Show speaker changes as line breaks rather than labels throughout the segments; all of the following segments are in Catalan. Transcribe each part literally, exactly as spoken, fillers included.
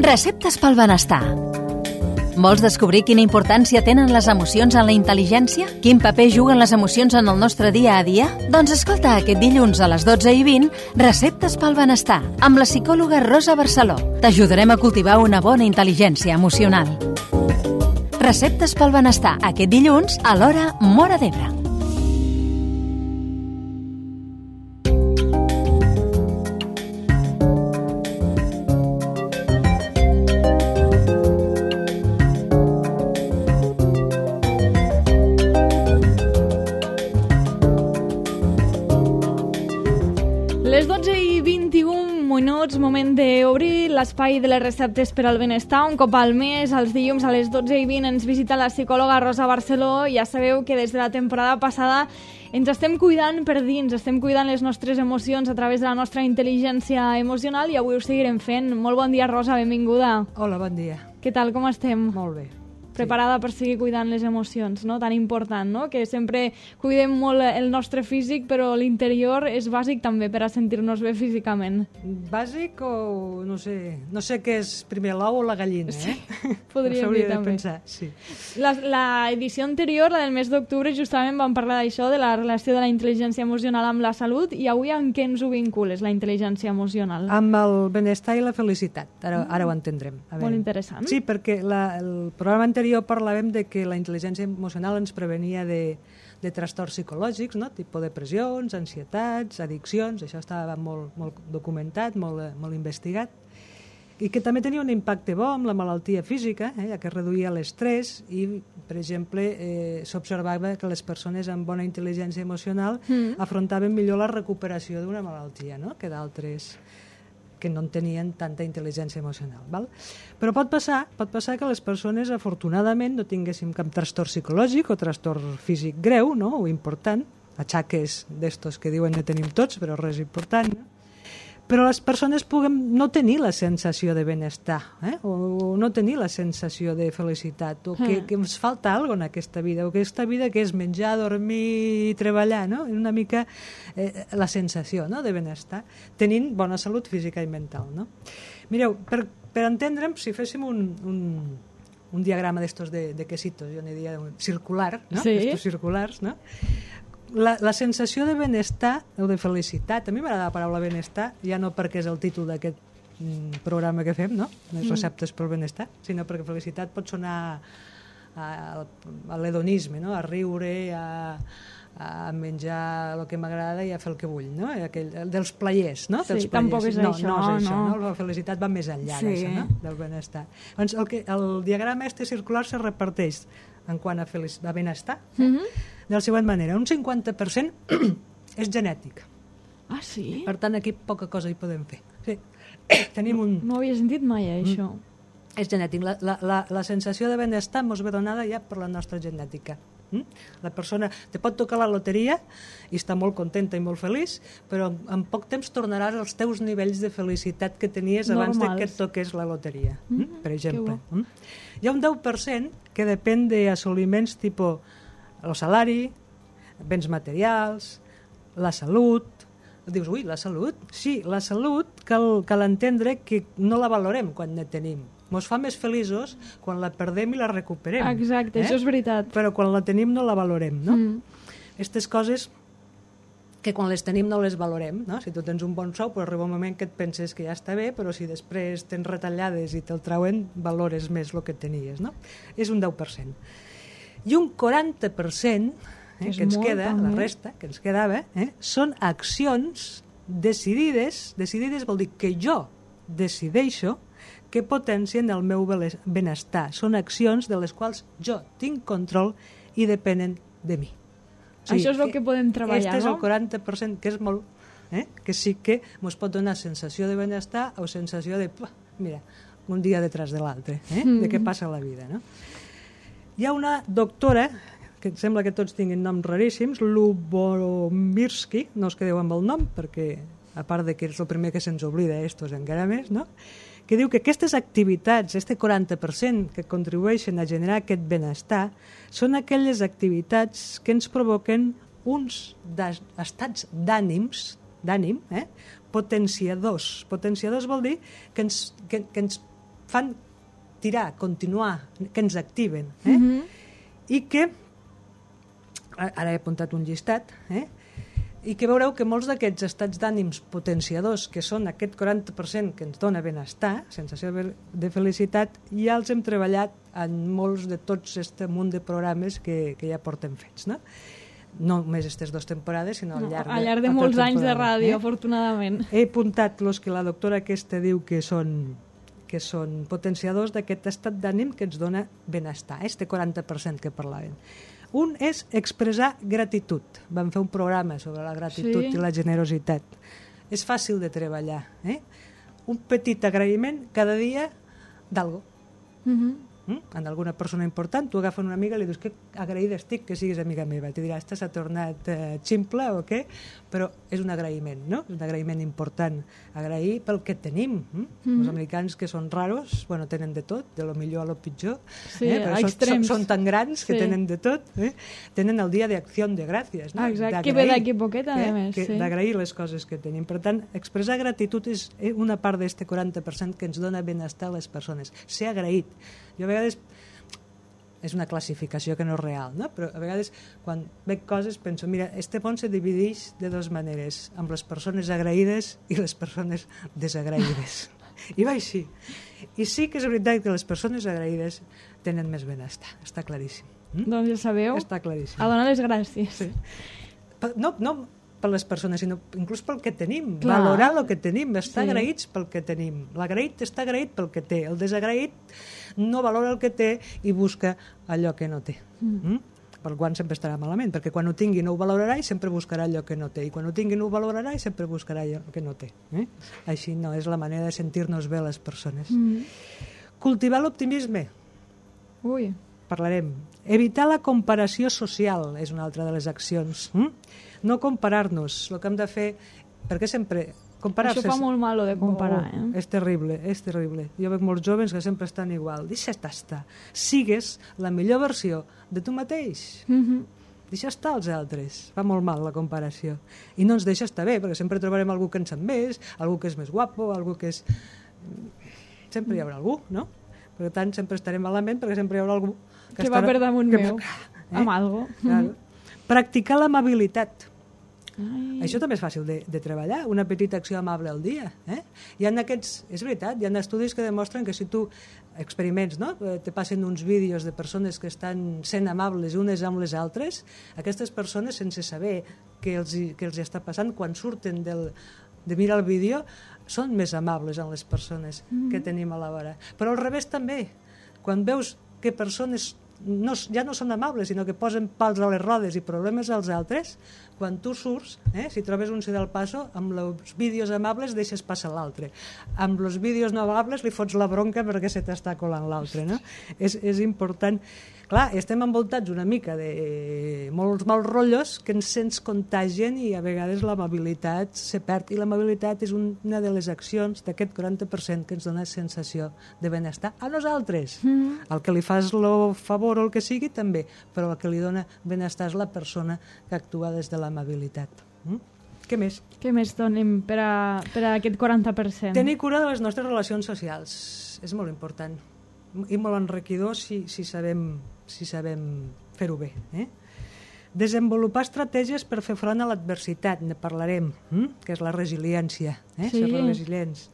Receptes pel benestar. Vols descobrir quina importància tenen les emocions en la intel·ligència? Quin paper juguen les emocions en el nostre dia a dia? Doncs escolta aquest dilluns a les dotze i vint Receptes pel benestar amb la psicòloga Rosa Barceló. T'ajudarem a cultivar una bona intel·ligència emocional. Receptes pel benestar aquest dilluns a l'hora Móra d'Ebre.
Les dotze i vint-i-un minuts, moment d'obrir l'espai de les receptes per al benestar. Un cop al mes, els dilluns a les dotze i vint, ens visita la psicòloga Rosa Barceló. Ja sabeu que des de la temporada passada ens estem cuidant per dins, estem cuidant les nostres emocions a través de la nostra intel·ligència emocional i avui ho seguirem fent. Molt bon dia, Rosa, benvinguda.
Hola, bon dia.
Què tal, com estem?
Molt bé.
Preparada per seguir cuidant les emocions, no? Tan important, no? Que sempre cuidem molt el nostre físic, però l'interior és bàsic també per a sentir-nos bé físicament.
Bàsic o no sé, no sé què és primer l'ou o la gallina, eh?
Sí, podríem dir també.
Pensar, sí.
La, la edició anterior, la del mes d'octubre, justament vam parlar d'això, de la relació de la intel·ligència emocional amb la salut, i avui en què ens ho vincules, la intel·ligència emocional?
Amb el benestar i la felicitat, ara, ara ho entendrem. A veure.
Molt interessant.
Sí, perquè la, el programa anterior parlàvem de que la intel·ligència emocional ens prevenia de, de trastorns psicològics, no? Tipus depressions, ansietats, addiccions, això estava molt, molt documentat, molt, molt investigat, i que també tenia un impacte bo amb la malaltia física, eh? Ja que reduïa l'estrès i, per exemple, eh, s'observava que les persones amb bona intel·ligència emocional mm. afrontaven millor la recuperació d'una malaltia, no? Que d'altres que no tenien tanta intel·ligència emocional. Val? Però pot passar, pot passar que les persones, afortunadament, no tinguéssim cap trastorn psicològic o trastorn físic greu, no? O important, atxaques d'estos que diuen que tenim tots, però res important, no? Però les persones puguem no tenir la sensació de benestar, eh? o no tenir la sensació de felicitat, o que, que ens falta alguna cosa en aquesta vida, o que aquesta vida que és menjar, dormir i treballar, no? Una mica eh, la sensació, no? De benestar, tenint bona salut física i mental. No? Mireu, per, per entendre'm, si féssim un, un, un diagrama d'estos de, de quesitos, jo n'hi diria circular, no?
Sí.
Estos circulars, no? La, la sensació de benestar o de felicitat, a mi m'agrada la paraula benestar, ja no perquè és el títol d'aquest mm, programa que fem, no? Les receptes pel benestar, sinó perquè felicitat pot sonar a, a, a l'hedonisme, no? A riure, a, a menjar el que m'agrada i a fer el que vull, no? Aquell, dels players, no?
Sí,
dels
tampoc és
no,
això.
No, és això,
no.
no? La felicitat va més enllà
sí.
d'això, no? Del benestar. Doncs el, que, el diagrama este circular se reparteix en quant a, felic... a benestar, eh? mm-hmm. de la següent manera. Un cinquanta per cent és genètic.
Ah, sí?
Per tant, aquí poca cosa hi podem fer. Sí. Tenim un...
No, no havia sentit mai, eh, això.
Mm. És genètic. La, la, la, la sensació de benestar mos ve donada ja per la nostra genètica. Mm? La persona te pot tocar la loteria i està molt contenta i molt feliç, però en poc temps tornaràs als teus nivells de felicitat que tenies abans de que et toqués la loteria, mm? Mm? Per exemple. Mm? Hi ha un deu per cent que depèn d'assoliments tipus el salari, béns materials, la salut. Dius, ui, la salut? Sí, la salut cal, cal entendre que no la valorem quan ne tenim. Ens fa més feliços quan la perdem i la recuperem.
Exacte,
eh?
això és veritat.
Però quan la tenim no la valorem, no?
Mm.
Aquestes coses que quan les tenim no les valorem, no? Si tu tens un bon sou, però arriba un moment que et penses que ja està bé, però si després tens retallades i te'l trauen, valores més el que tenies, no? És un deu per cent. I un quaranta per cent eh, que ens queda, també. La resta, que ens quedava, eh, són accions decidides, decidides vol dir que jo decideixo que potencien el meu benestar. Són accions de les quals jo tinc control i depenen de mi.
O sigui, això és el que podem treballar, no?
Aquest és el quaranta per cent, que és molt... Eh, que sí que ens pot donar sensació de benestar o sensació de, mira, un dia detrás de l'altre, eh, mm. de què passa a la vida, no? Hi ha una doctora, que em sembla que tots tinguin noms raríssims, Lubomirsky, no us quedeu amb el nom, perquè a part de que és el primer que se'ns oblida, estos encara més, no? Que diu que aquestes activitats, este quaranta per cent que contribueixen a generar aquest benestar, són aquelles activitats que ens provoquen uns estats d'ànims, d'ànim, eh? potenciadors. Potenciadors vol dir que ens, que, que ens fan tirar, continuar, que ens activen. Eh? Mm-hmm. I que, ara he apuntat un llistat, eh? I que veureu que molts d'aquests estats d'ànims potenciadors, que són aquest quaranta per cent que ens dona benestar, sensació de felicitat, ja els hem treballat en molts de tots aquest munt de programes que, que ja portem fets, no? No només aquestes dues temporades, sinó al llarg de,
al llarg de molts anys de ràdio, eh? Afortunadament.
He apuntat els que la doctora aquesta diu que són, que són potenciadors d'aquest estat d'ànim que ens dona benestar, este quaranta per cent que parlàvem. Un és expressar gratitud. Vam fer un programa sobre la gratitud sí. i la generositat. És fàcil de treballar. Eh? Un petit agraïment cada dia d'algo. Mm-hmm. Mm? En alguna persona important, tu agafes una amiga i li dius que agraïda estic que siguis amiga meva. Te dirà, esta s'ha tornat eh, ximple o què? Però és un agraïment, no? És un agraïment important. Agrair pel que tenim. Mm? Mm-hmm. Els americans, que són raros, bueno, tenen de tot, de lo millor a lo pitjor.
Sí,
eh? Però són, són, són tan grans que sí. tenen de tot. Eh? Tenen el dia d'acció de gràcies. No?
Ah, exacte, que ve d'aquí poquet, a
eh?
més.
Que,
sí.
D'agrair les coses que tenim. Per tant, expressar gratitud és una part d'este quaranta per cent que ens dona benestar a les persones. Ser agraït. Jo a vegades... és una classificació que no és real, no? Però a vegades quan veig coses penso, mira, este món se divideix de dues maneres, amb les persones agraïdes i les persones desagraïdes. I va així. I sí que és veritat que les persones agraïdes tenen més benestar, està claríssim. Mm?
Doncs ja sabeu,
està claríssim.
A donar les gràcies.
Sí. No, no per les persones, sinó inclús pel que tenim.
Clar.
Valorar el que tenim, estar
sí.
agraïts pel que tenim. L'agraït està agraït pel que té. El desagraït no valora el que té i busca allò que no té. Mm. Mm? Per quan sempre estarà malament, perquè quan ho tingui no ho valorarà i sempre buscarà allò que no té. I quan ho tingui no ho valorarà i sempre buscarà allò que no té. Eh? Així no és la manera de sentir-nos bé les persones. Mm. Cultivar l'optimisme.
Ui.
Parlarem. Evitar la comparació social és una altra de les accions. Mm? No comparar-nos. El que hem de fer... Perquè sempre... Comparar-se...
Això fa molt mal, de comparar.
Oh,
eh?
És terrible, és terrible. Jo veig molts jovens que sempre estan igual. Deixa estar. Sigues la millor versió de tu mateix. Mm-hmm. Deixa estar els altres. Fa molt mal la comparació. I no ens deixa estar bé, perquè sempre trobarem algú que en sap més, algú que és més guapo, algú que és... Sempre hi haurà algú, no? Per tant, sempre estarem malament, perquè sempre hi haurà algú...
Que, que va per damunt que... meu, eh? Amb algo.
Claro. Practicar l'amabilitat.
Ai.
Això també és fàcil de, de treballar, una petita acció amable al dia. Eh? Hi ha aquests, és veritat, hi ha estudis que demostren que si tu experiments, no? Te passen uns vídeos de persones que estan sent amables unes amb les altres, aquestes persones, sense saber què els, què els està passant, quan surten del, de mirar el vídeo, són més amables amb les persones mm-hmm. que tenim a la vora. Però al revés també, quan veus que persones no, ja no són amables, sinó que posen pals a les rodes i problemes als altres, quan tu surts, eh, si trobes un del passo, amb els vídeos amables deixes passar l'altre. Amb els vídeos no amables li fots la bronca perquè se t'està colant l'altre. No? És, és important. Clar, estem envoltats una mica de molts mals rotllos que ens se'ns contagien i a vegades l'amabilitat se perd. I l'amabilitat és una de les accions d'aquest quaranta per cent que ens dona sensació de benestar a nosaltres. Mm-hmm. El que li fas el favor o el que sigui també, però el que li dona benestar és la persona que actua des de l'amabilitat. Mm? Què més?
Què més donem per a, per a aquest quaranta per cent?
Tenir cura de les nostres relacions socials. És molt important. I molt enriquidor si, si sabem, si sabem fer-ho bé. Eh? Desenvolupar estratègies per fer front a l'adversitat, ne parlarem, hm? que és la resiliència. Eh?
Sí.
Ser resilients.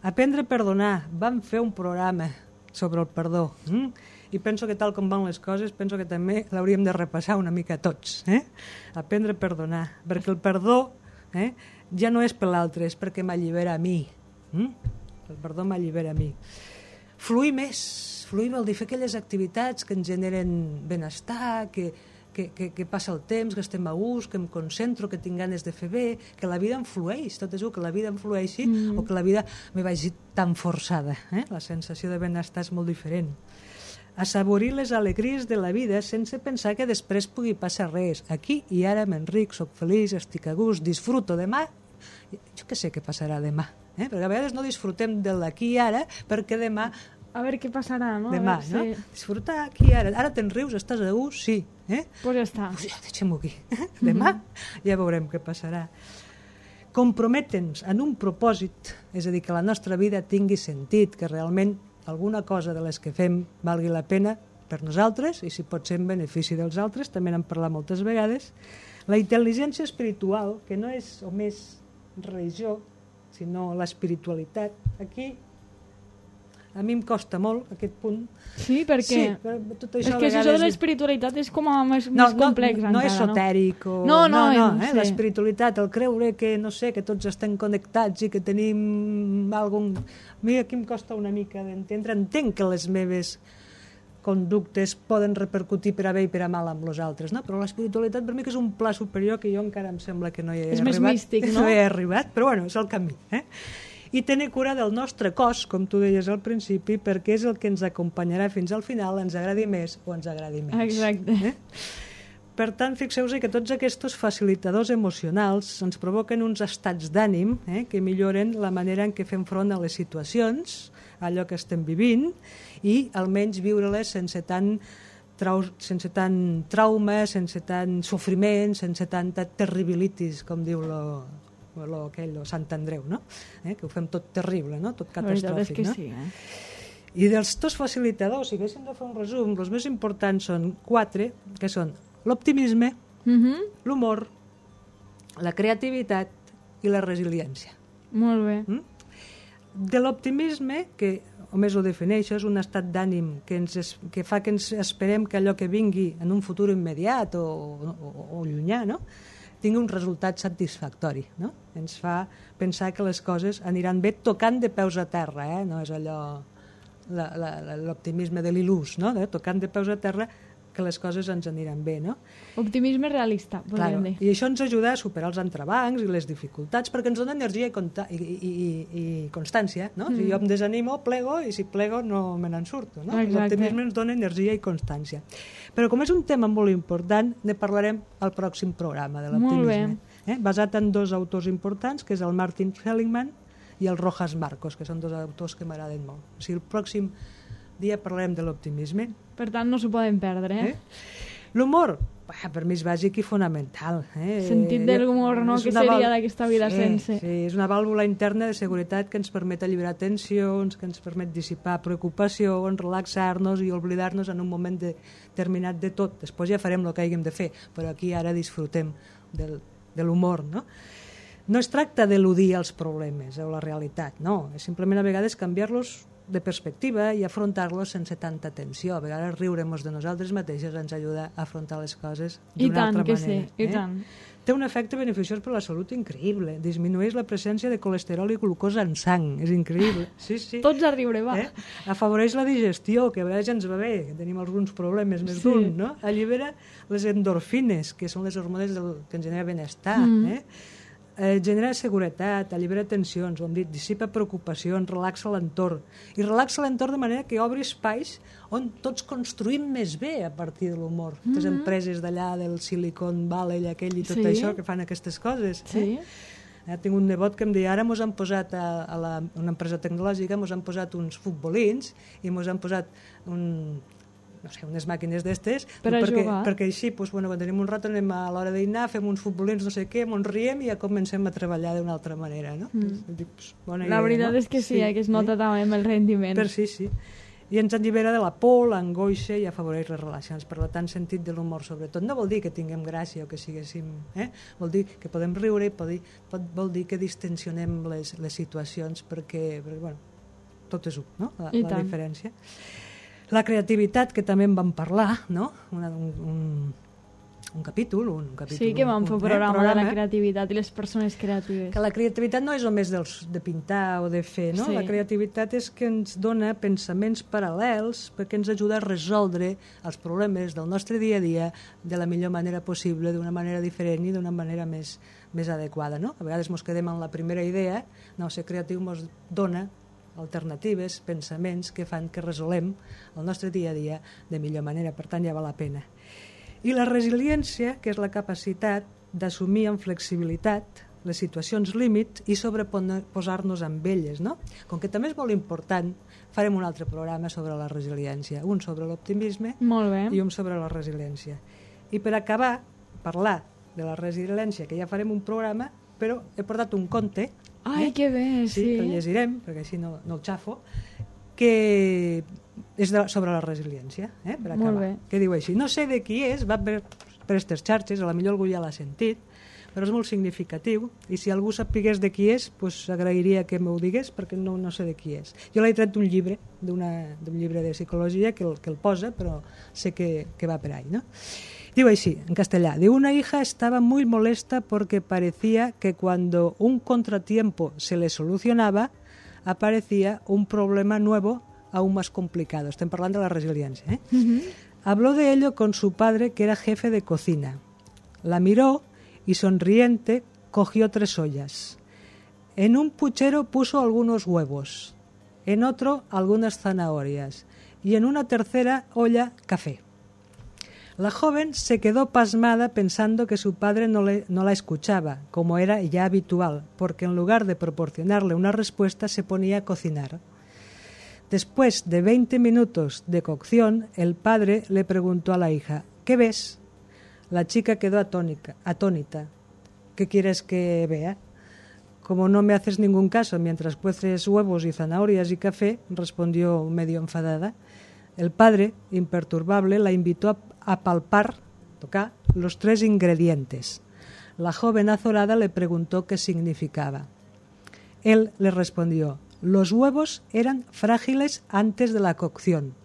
Aprendre a perdonar. Vam fer un programa sobre el perdó. Hm? I penso que tal com van les coses, penso que també l'hauríem de repassar una mica tots. Eh? Aprendre a perdonar. Perquè el perdó eh, ja no és per l'altre, és perquè m'allibera a mi. Hm? El perdó m'allibera a mi. Fluir més, fluir vol dir fer aquelles activitats que ens generen benestar, que, que, que, que passa el temps, que estem a gust, que em concentro, que tinc ganes de fer bé, que la vida em flueix, tot és que la vida em flueixi mm. o que la vida me vagi tan forçada. Eh? La sensació de benestar és molt diferent. Assaborir les alegries de la vida sense pensar que després pugui passar res. Aquí i ara m'enric, soc feliç, estic a gust, disfruto. Demà, jo què sé què passarà demà. Eh? Perquè a vegades no disfrutem de l'aquí i ara perquè demà...
A veure què passarà, no?
Demà,
a veure,
no?
sí.
Disfrutar aquí i ara. Ara te'n rius, estàs a gust? Sí. Eh?
Pues ja està.
Pues ja, deixem-ho aquí. Demà ja veurem què passarà. Comprometre'ns en un propòsit, és a dir, que la nostra vida tingui sentit, que realment alguna cosa de les que fem valgui la pena per nosaltres i si pot ser en benefici dels altres, també n'hem parlat moltes vegades. La intel·ligència espiritual, que no és només religió, sinó l'espiritualitat, aquí a mi em costa molt aquest punt.
Sí, perquè
sí, però tot això
és que això de l'espiritualitat és com a més, no, més complex
no,
encara,
no és esotèric o...
no, no,
no, no
no
eh?
sí.
L'espiritualitat, el creure que no sé, que tots estem connectats i que tenim algun... A mi aquí em costa una mica d'entendre, entenc que les meves conductes poden repercutir per a bé i per a mal amb els altres, no? Però l'espiritualitat per mi que és un pla superior que jo encara em sembla que no hi he
és
arribat.
És més místic, no?
No hi he arribat, però bueno, és el camí, eh? I tenir cura del nostre cos, com tu deies al principi, perquè és el que ens acompanyarà fins al final, ens agradi més o ens agradi menys.
Exacte.
Eh? Per tant, fixeu-vos que tots aquests facilitadors emocionals ens provoquen uns estats d'ànim eh, que milloren la manera en què fem front a les situacions, a allò que estem vivint, i almenys viure-les sense tant, trau sense tant trauma, sense tant sofriment, sense tanta terribilitis, com diu lo, lo, aquell, lo Sant Andreu, no? Eh, que ho fem tot terrible, no? Tot catastròfic.
Que
no?
sí, eh?
I dels dos facilitadors, si haguéssim de fer un resum, els més importants són quatre, que són l'optimisme,
mm-hmm.
l'humor, la creativitat i la resiliència.
Molt bé.
Mm? De l'optimisme, que només ho defineixo, és un estat d'ànim que, ens es, que fa que ens esperem que allò que vingui en un futur immediat o, o, o llunyà, no? tingui un resultat satisfactori. No? Ens fa pensar que les coses aniran bé tocant de peus a terra, eh? No és allò l'optimisme de l'il·lús, no? De, tocant de peus a terra que les coses ens aniran bé, no?
Optimisme realista, podríem
claro.
dir.
I això ens ajuda a superar els entrebancs i les dificultats, perquè ens dona energia i, i, i, i, i constància, no? Mm. Si jo em desanimo, plego, i si plego no me n'en surto, no? L'optimisme ens dona energia i constància. Però com és un tema molt important, ne parlarem al pròxim programa de l'optimisme. Eh? Basat en dos autors importants, que és el Martin Seligman i el Rojas Marcos, que són dos autors que m'agraden molt. O sigui, el pròxim dia parlarem de l'optimisme.
Per tant, no s'ho poden perdre, eh?
eh? L'humor, per mi és bàsic i fonamental. Eh?
Sentit de l'humor, no? Que seria d'aquesta vida
sí,
sense.
Sí, és una vàlvula interna de seguretat que ens permet alliberar tensions, que ens permet dissipar preocupacions, relaxar-nos i oblidar-nos en un moment determinat de tot. Després ja farem el que haguem de fer, però aquí ara disfrutem del, de l'humor, no? No es tracta d'eludir els problemes o la realitat, no. És simplement a vegades canviar-los de perspectiva i afrontar-los sense tanta tensió. A vegades riure-nos de nosaltres mateixes ens ajuda a afrontar les coses d'una altra manera. I tant que sí,
i
eh?
tant.
Té un efecte beneficiós per la salut increïble. Disminueix la presència de colesterol i glucosa en sang. És increïble. Sí, sí.
Tots a riure, va.
Eh? Afavoreix la digestió, que a vegades ja ens va bé, que tenim alguns problemes més sí. d'un, no? Allibera les endorfines, que són les hormones del, que ens genera benestar, mm. eh? Eh, genera seguretat, allibera tensions, ho hem dit, dissipa preocupacions, relaxa l'entorn. I relaxa l'entorn de manera que obri espais on tots construïm més bé a partir de l'humor. Mm-hmm. Les empreses d'allà, del Silicon Valley, aquell i tot sí. això, que fan aquestes coses.
Sí.
Eh? Eh, tinc un nebot que em deia, ara mos han posat a, a la, una empresa tecnològica, mos han posat uns futbolins i mos han posat un... no sé, unes màquines d'estes,
per
perquè,
jugar.
perquè així, doncs, bueno, quan tenim un rato anem a l'hora dinar, fem uns futbolins, no sé què, ens riem i ja comencem a treballar d'una altra manera, no?
Mm.
Dic, pues, bona
la
idea,
veritat
no?
és que sí, sí eh, que es nota sí. també amb el rendiment.
Per sí, sí. I ens allibera de la por, l'angoixa i afavoreix les relacions. Per tant, sentit de l'humor, sobretot. No vol dir que tinguem gràcia o que siguéssim... Eh? Vol dir que podem riure i pot dir, pot, vol dir que distensionem les, les situacions perquè, perquè, bueno, tot és un, no? La, la diferència. La creativitat, que també en vam parlar, no? Una, un, un, un capítol, un capítol...
Sí, que vam fer un programa, eh, programa de la creativitat i les persones creatives.
Que la creativitat no és només dels, de pintar o de fer, no? Sí. La creativitat és que ens dona pensaments paral·lels perquè ens ajuda a resoldre els problemes del nostre dia a dia de la millor manera possible, d'una manera diferent i d'una manera més, més adequada, no? A vegades ens quedem en la primera idea, no, ser creatiu ens dona alternatives, pensaments que fan que resolem el nostre dia a dia de millor manera, per tant ja val la pena. I la resiliència, que és la capacitat d'assumir amb flexibilitat les situacions límit i sobreposar-nos amb elles, no? Com que també és molt important, farem un altre programa sobre la resiliència, un sobre l'optimisme i un sobre la resiliència. I per acabar, parlar de la resiliència, que ja farem un programa, però he portat un conte.
Ai, eh? Que bé, sí.
Sí, que el llegirem, perquè així no, no el xafo. que és de, sobre la resiliència, eh, per acabar.
Molt bé.
Que diu així, no sé de qui és, va per, per aquestes xarxes, a la millor algú ja l'ha sentit, però és molt significatiu, i si algú sapigués de qui és, pues, agrairia que m'ho digués, perquè no, no sé de qui és. Jo l'he tret d'un llibre, d'un llibre de psicologia que el, que el posa, però sé que, que va per ahí, ¿no? Digo así, en castellano, de una hija estaba muy molesta porque parecía que cuando un contratiempo se le solucionaba, aparecía un problema nuevo aún más complicado. Estoy hablando de la resiliencia, ¿eh? Uh-huh. Habló de ello con su padre, que era jefe de cocina. La miró y, sonriente, cogió tres ollas. En un puchero puso algunos huevos, en otro algunas zanahorias y en una tercera olla café. La joven se quedó pasmada pensando que su padre no, le, no la escuchaba, como era ya habitual, porque en lugar de proporcionarle una respuesta se ponía a cocinar. Después de veinte minutos de cocción, el padre le preguntó a la hija, ¿qué ves? La chica quedó atónica, atónita. ¿Qué quieres que vea? Como no me haces ningún caso mientras cueces huevos y zanahorias y café, respondió medio enfadada. El padre, imperturbable, la invitó a, a palpar, tocar, los tres ingredientes. La joven azorada le preguntó qué significaba. Él le respondió, los huevos eran frágiles antes de la cocción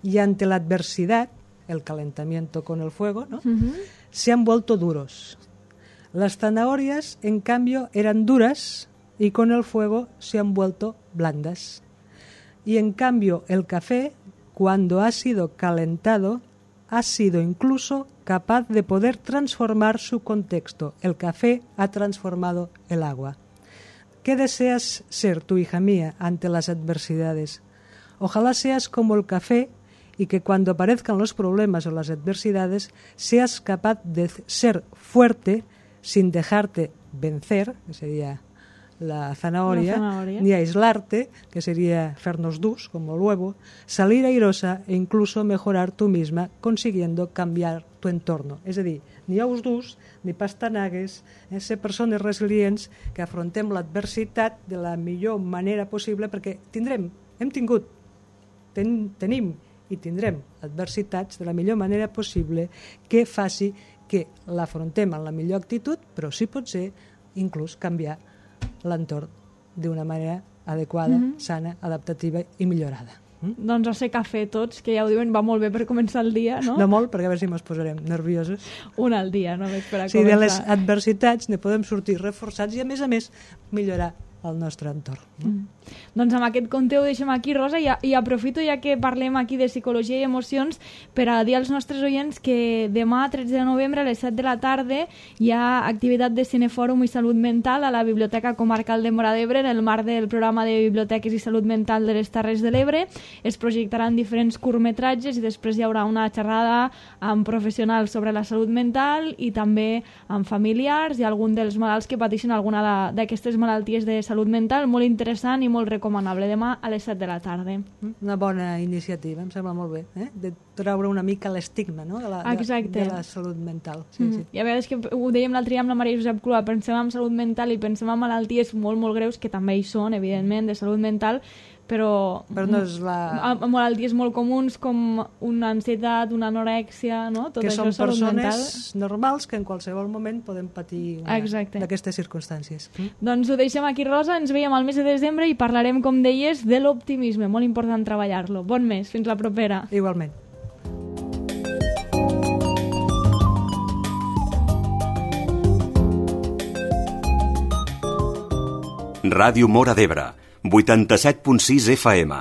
y ante la adversidad, el calentamiento con el fuego, ¿no? Uh-huh. Se han vuelto duros. Las zanahorias, en cambio, eran duras y con el fuego se han vuelto blandas. Y en cambio, el café, cuando ha sido calentado, ha sido incluso capaz de poder transformar su contexto. El café ha transformado el agua. ¿Qué deseas ser tú, hija mía, ante las adversidades? Ojalá seas como el café y que cuando aparezcan los problemas o las adversidades seas capaz de ser fuerte sin dejarte vencer, que sería la zanahoria,
la zanahoria,
ni aislarte, que sería fer-nos durs, como el huevo, salir airosa e incluso mejorar tú misma, consiguiendo cambiar tu entorno. És a dir, ni ous durs, ni pastanagues, eh, ser persones resilients que afrontem l'adversitat de la millor manera possible, perquè tindrem, hem tingut, ten, tenim i tindrem adversitats de la millor manera possible que faci que l'afrontem en la millor actitud, però sí pot ser inclús canviar l'entorn d'una manera adequada, mm-hmm. sana, adaptativa i millorada. Mm?
Doncs a ser cafè tots, que ja ho diuen, va molt bé per començar el dia, no?
No molt, perquè a veure si ens posarem nervioses.
Un al dia, només per a
sí,
començar.
De les adversitats ne podem sortir reforçats i, a més a més, millorar el nostre entorn.
Mm. Doncs amb aquest conte ho deixem aquí, Rosa, i, i aprofito ja que parlem aquí de psicologia i emocions per a dir als nostres oients que demà, tretze de novembre, a les set de la tarda, hi ha activitat de cinefòrum i salut mental a la Biblioteca Comarcal de Móra d'Ebre en el marc del programa de biblioteques i salut mental de les Terres de l'Ebre. Es projectaran diferents curtmetratges i després hi haurà una xerrada amb professionals sobre la salut mental i també amb familiars i algun dels malalts que pateixen alguna d'aquestes malalties de salut mental, molt interessant i molt recomanable, demà a les set de la tarda.
Una bona iniciativa, em sembla molt bé, eh? De treure una mica l'estigma, no? de, la, de, de la salut mental. Sí, mm. sí. I
a vegades que ho dèiem l'altre dia amb la Maria Josep Clua, pensem en salut mental i pensem en malalties molt, molt greus, que també hi són, evidentment, de salut mental, però,
però no és la...
malalties molt comuns com una ansietat, una anorèxia, no? Tot
que
això
són persones
mental.
normals que en qualsevol moment podem patir d'aquestes circumstàncies. Mm?
Doncs ho deixem aquí, Rosa, ens veiem al mes de desembre i parlarem, com deies, de l'optimisme, molt important treballar-lo. Bon mes, fins la propera.
Igualment.
Ràdio Móra d'Ebre, vuitanta-set punt sis F M.